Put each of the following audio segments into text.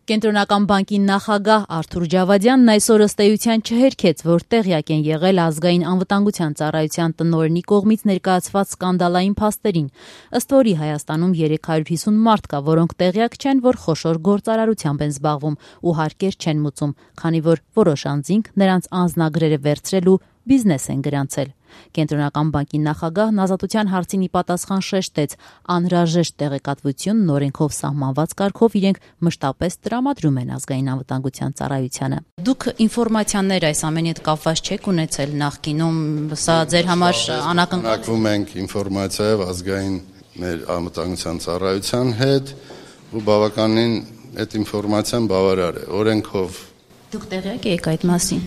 Կենտրոնական բանկի նախագահ Արթուր Ջավադյանն այսօր ըստ էության չհերքեց, որ տեղյակ են եղել ազգային անվտանգության ծառայության տնօրենի կողմից ներկայացված սկանդալային փաստերին, ըստ որի Հայաստանում 350 մարդ կա, որոնք տեղյակ չեն, որ խոշոր գործարարությամբ են զբաղվում ու հարկեր չեն մուծում, քանի որ որոշ անձինք նրանց անձնագրերը վերցրել ու բիզնես են գրանցել։ Կենտրոնական բանկի նախագահն ազատության հարցին ի պատասխան շեշտեց, անհրաժեշտ տեղեկատվությունն օրենքով սահմանված կարգով իրենք մշտապես տրամադրում են ազգային անվտանգության ծառայությանը։ Դուք ինֆորմացիաներ այս ամենի հետ կապված չեք ունեցել նախկինում, սա ձեր համար անակնկալվում ենք ինֆորմացիայով ազգային մեր անվտանգության ծառայության հետ ու բավականին այդ ինֆորմացիան բավարար է օրենքով։ Դուք տեղյակ եք այդ մասին։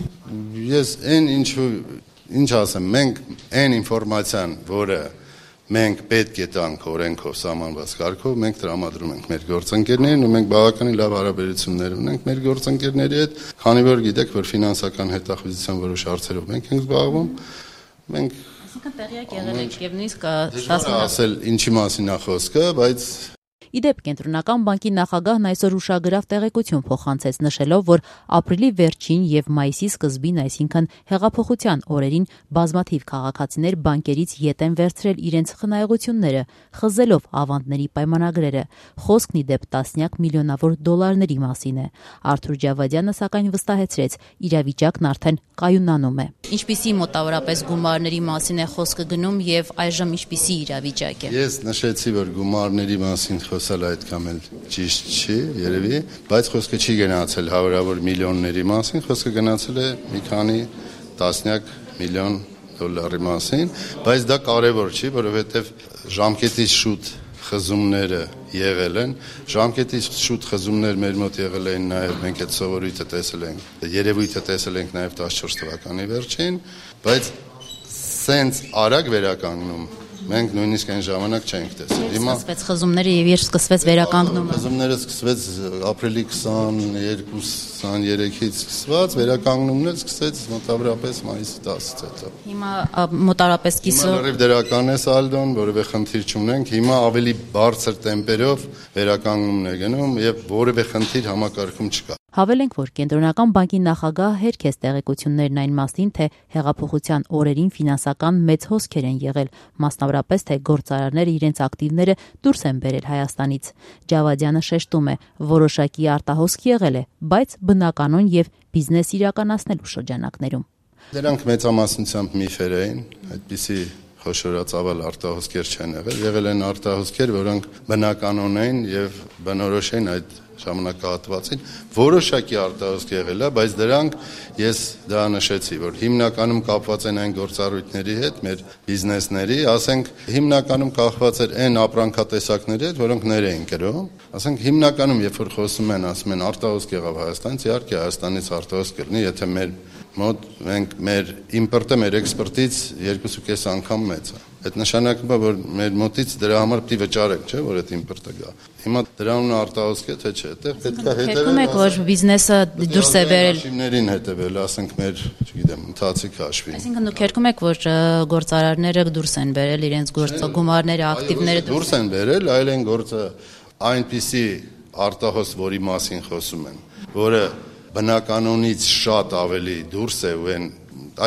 Ես ինչ ասեմ, մենք այն ինֆորմացիան, որը մենք պետք է տանք օրենքով սահմանված կարգով, մենք տրամադրում ենք մեր գործընկերներին ու մենք բավականին լավ հարաբերություններ ունենք մեր գործընկերների հետ, քանի որ գիտեք, որ ֆինանսական հետախուզության որոշ հարցերով մենք ենք զբաղվում, մենք տեղյակ եղել եք եւ նույնիսկ ասել ինչի մասին է խոսքը, բայց Իդեպ Կենտրոնական բանկի նախագահն այսօր ուշագրավ տեղեկություն փոխանցեց, նշելով, որ ապրիլի վերջին եւ մայիսի սկզբին, այսինքն հեղափոխության օրերին բազմաթիվ քաղաքացիներ բանկերից ետ են վերցրել իրենց խնայողությունները, խզելով ավանդների պայմանագրերը։ Խոսքն իդեպ տասնյակ միլիոնավոր դոլարների մասին է։ Արթուր Ջավադյանը սակայն վստահեցրեց, իրավիճակն արդեն կայունանում է։ Ինչպիսի մոտավորապես գումարների մասին է խոսքը գնում եւ այժմ ինչպիսի իրավիճակ է։ Ես նշեցի, որ գումարների մասին խոսել այդքան էլ ճիշտ չի, երևի, բայց խոսքը չի գնացել հարյուրավոր միլիոնների մասին, խոսքը գնացել է մի քանի տասնյակ միլիոն դոլարի մասին, բայց դա կարևոր չի, որովհետև ժամկետից շուտ խզումները եղել են, ժամկետից շուտ խզումներ մեր մոտ եղել են նաև մենք այդ սովորույթը տեսել ենք, երևույթը տեսել ենք նաև 14 թվականի վերջին, բայց սենց արագ վերականգնում մենք նույնիսկ այն ժամանակ չենք տեսել։ Հիմա սկսվեց խզումները եւ երբ սկսվեց վերականգնումը։ Խզումները սկսվեց ապրիլի 22-23-ից սկսված, վերականգնումն էլ սկսեց մոտավորապես մայիսի 10-ից հետո։ Հիմա մոտավորապես կիսը դրական է սալդոն, որևէ խնդիր չունենք։ Հիմա ավելի բարձր տեմպերով վերականգնումն է գնում եւ որևէ խնդիր համակարգում չկա։ Հավելենք, որ Կենտրոնական բանկի նախագահը հերքեց տեղեկություններն այն մասին, թե հեղափոխության օրերին ֆինանսական մեծ հոսքեր են եղել, մասնավորապես թե գործարարները իրենց ակտիվները դուրս են բերել Հայաստանից։ Ջավադյանը շեշտում է, որոշակի արտահոսք եղել է, բայց բնականon եւ բիզնես իրականացնելու շրջանակներում։ Դրանք մեծամասնությամբ միֆեր էին, այդպիսի խոշորացավալ արտահոսքեր չեն եղել են արտահոսքեր, որոնք բնականon էին եւ բնորոշ են այդ ժամանակահատվածին, որոշակի արտահոսք եղել է, բայց դրանք ես դա նշեցի, որ հիմնականում կապված են այն գործառույթների հետ, մեր բիզնեսների, ասենք հիմնականում կախված էր այն ապրանքատեսակների հետ, որոնք ներ էին կրում, ասենք հիմնականում երբ որ խոսում են, ասում են արտահոսք եղավ Հայաստանից, իհարկե Հայաստանից արտահոսք կլինի, եթե մեր մոտ մեր իմպորտը մեր էքսպորտից 2.5 անգամ մեծ է։ Այդ նշանակում է, որ մեր մոտից դրա համար պիտի վճարենք, չէ՞, որ այդ իմպորտը գա։ Հիմա դրանուն արտահոսք է, թե չէ, այդտեղ պետք է հետևել։ Հետո մեկ որ բիզնեսը դուրս է բերել։ Հաշիվներին հետևել, ասենք մեր, չգիտեմ, ընթացիկ հաշվին։ Այսինքն դուք երգում եք, որ գործարարները դուրս են բերել իրենց գումարները, ակտիվները դուրս են բերել, այլ են գործը այնպիսի արտահոսք, որի մասին խոսում են, որը բնականոնից շատ ավելի դուրս է ու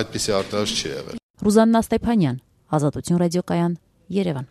այդպիսի արտահոսք չի եղել։ Ռուզաննա Ստեփանյան, Ազատություն ռադիոկայան, Երևան։